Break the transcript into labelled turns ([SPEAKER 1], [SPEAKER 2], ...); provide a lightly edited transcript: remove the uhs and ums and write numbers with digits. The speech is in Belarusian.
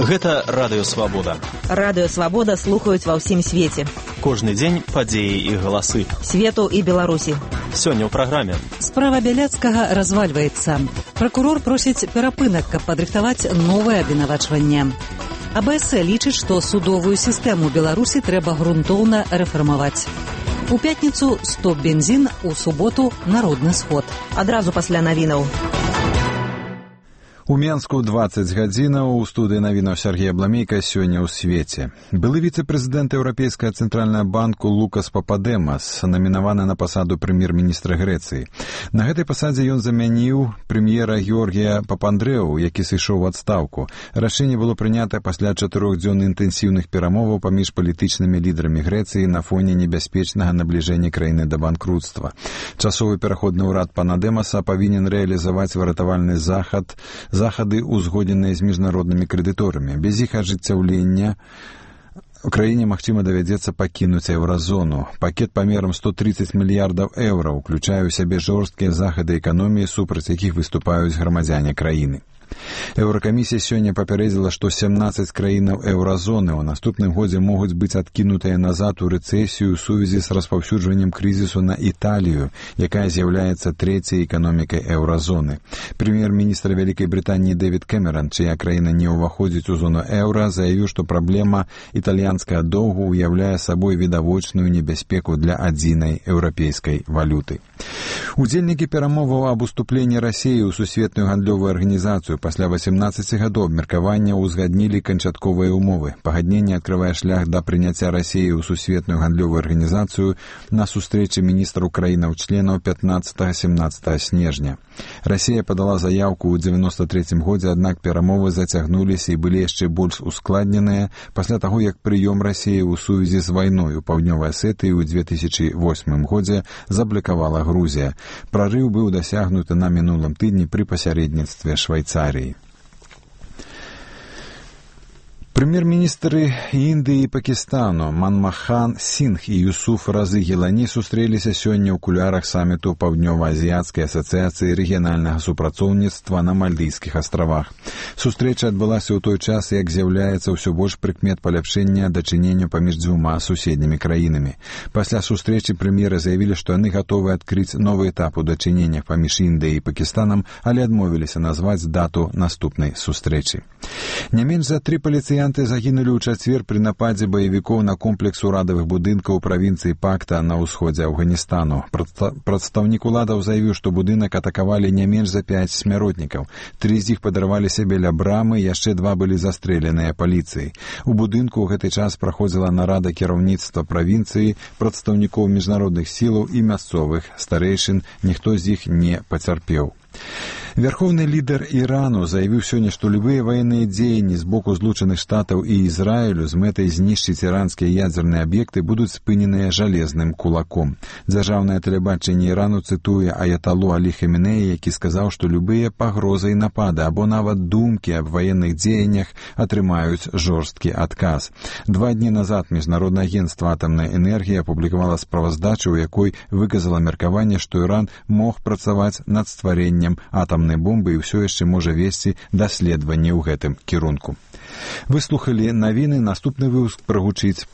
[SPEAKER 1] Гэта Радыё Свабода.
[SPEAKER 2] Радыё Свабода слухаюць ва ўсім свеце.
[SPEAKER 1] Кожны дзень падзеі і галасы.
[SPEAKER 2] Свету і Беларусі.
[SPEAKER 1] Сёння ў праграме.
[SPEAKER 3] Справа Бяляцкага развальваецца. Пракурор просіць перапынак, каб падрыхтаваць новае абвінавачванне. АБС лічыць, што судовую сістэму Беларусі трэба грунтоўна рэфармаваць. У пятніцу стоп бензін, у суботу народны сход.
[SPEAKER 2] Адразу пасля навінаў.
[SPEAKER 4] У Менску 20 гадзінаў, у студыі навінаў Сергей Абламейка сёння ў свеце. Былы віцэ-прэзідэнт Еўрапейскага цэнтральнага банку Лукас Пападэмас намінаваны на пасаду прэм'ер-міністра Грэцыі. На гэтай пасадзе ён замяніў прэм'ера Георгія Папандрэу, які сышоў у адстаўку. Рашэнне было прынята пасля 4-дзённых інтэнсіўных перамоваў паміж палітычнымі лідарамі Грэцыі на фоне небяспечнага набліжэння краіны да банкруцтва. Часовы пераходны ўрад пана Дэмаса павінен рэалізаваць выратавальны захады, узгодненыя з міжнароднымі крэдыторамі. Без іх ажыццяўлення у краіне, магчыма, давядзецца пакінуць еўразону. Пакет памерам 130 мільярдаў еўра ўключае ў сябе жорсткія захады эканоміі, супраць якіх выступаюць грамадзяне краіны. Еўракамісія сёння папярэдзіла, што 17 краінаў еўразоны ў наступным годзе могуць быць адкінутыя назад у рэцэсію ў сувязі з распаўсюджваннем крызісу на Італію, якая з'яўляецца трэцяй эканомікай еўразоны. Прэм'ер-міністр Вялікай Брытаніі Дэвід Кэмеран, чыя краіна не ўваходзіць у зону еўра, заявіў, што праблема італьянскага доўгу ўяўляе сабой відавочную небяспеку для адзінай еўрапейскай валюты. Удзельнікі перамоваў аб уступленні Расіі ў сусветную гандлёвую арганізацыю пасля 18 гадоў абмеркавання ўзгаднілі канчатковыя ўмовы. Пагадненне адкрывае шлях да прыняцця Расіі ў сусветную гандлёвую арганізацыю на сустрэчы міністраў краінаў-членаў 15-17 снежня. Расія падала заяўку ў 93 годзе, аднак перамовы зацягнуліся і былі яшчэ больш ускладненыя пасля таго, як прыём Расіі ў сувязі з вайной у Паўднёвай Асетыі ў 2008 годзе заблакавала Грузія. Прарыў быў дасягнуты на мінулым тыдні пры пасярэдніцтве Швайцарыі. Прэм'ер-міністры Індыі і Пакістану Манмохан Сінгх і Юсуф Разы Гілані сустрэліся сёння ў кулярах саміту Паўднёва-азіяцкай асацыяцыі рэгіянальнага супрацоўніцтва на Мальдыйскіх астравах. Сустрэча адбылася ў той час, як з'яўляецца ўсё больш прыкмет паляпшэння дачынення паміж дзвюма суседнімі краінамі. Пасля сустрэчы прэм'еры заявілі, што яны гатовы адкрыць новы этап у дачыненнях паміж Індыяй і Пакістанам, але адмовіліся назваць дату наступнай сустрэчы. Не менш за 3 паліцыянты загінулі ў чацвер пры нападзе баевікоў на комплекс урадавых будынкаў у правінцыі Пакта на ўсходзе Афганістану. Прадстаўнік уладаў заявіў, што будынак атакавалі не менш за 5 смяротнікаў. 3 з іх падарваліся біля брамы, яшчэ 2 былі застрэленыя паліцыяй. У будынку ў гэты час праходзіла нарада кіраўніцтва правінцыі, прадстаўнікоў міжнародных сілаў і мясцовых старэйшын, ніхто з іх не пацярпеў. Верховны лідар Ірану заявіў сёння, што любыя ваенныя дзеянні з боку Злучаных Штатаў і Ізраілю з мэтай знішчыць іранскія ядзерныя аб'екты будуць спыненыя жалезным кулаком. Дзяржаўнае тэлебачанне Ірану цытуе аяталу Алі Хаменеі, які сказаў, што любыя пагрозы і напады або нават думкі аб ваенных дзеяннях атрымаюць жорсткі адказ. 2 дні назад Міжнароднае агенцтва атамнай энергіі апублікавала справаздачу, у якой выказала меркаванне, што Іран мог працаваць над стварэннем атамнай бомбы і ўсё яшчэ можа весці даследаванні ў гэтым кірунку. Вы слухалі навіны, наступны выпуск прагучыць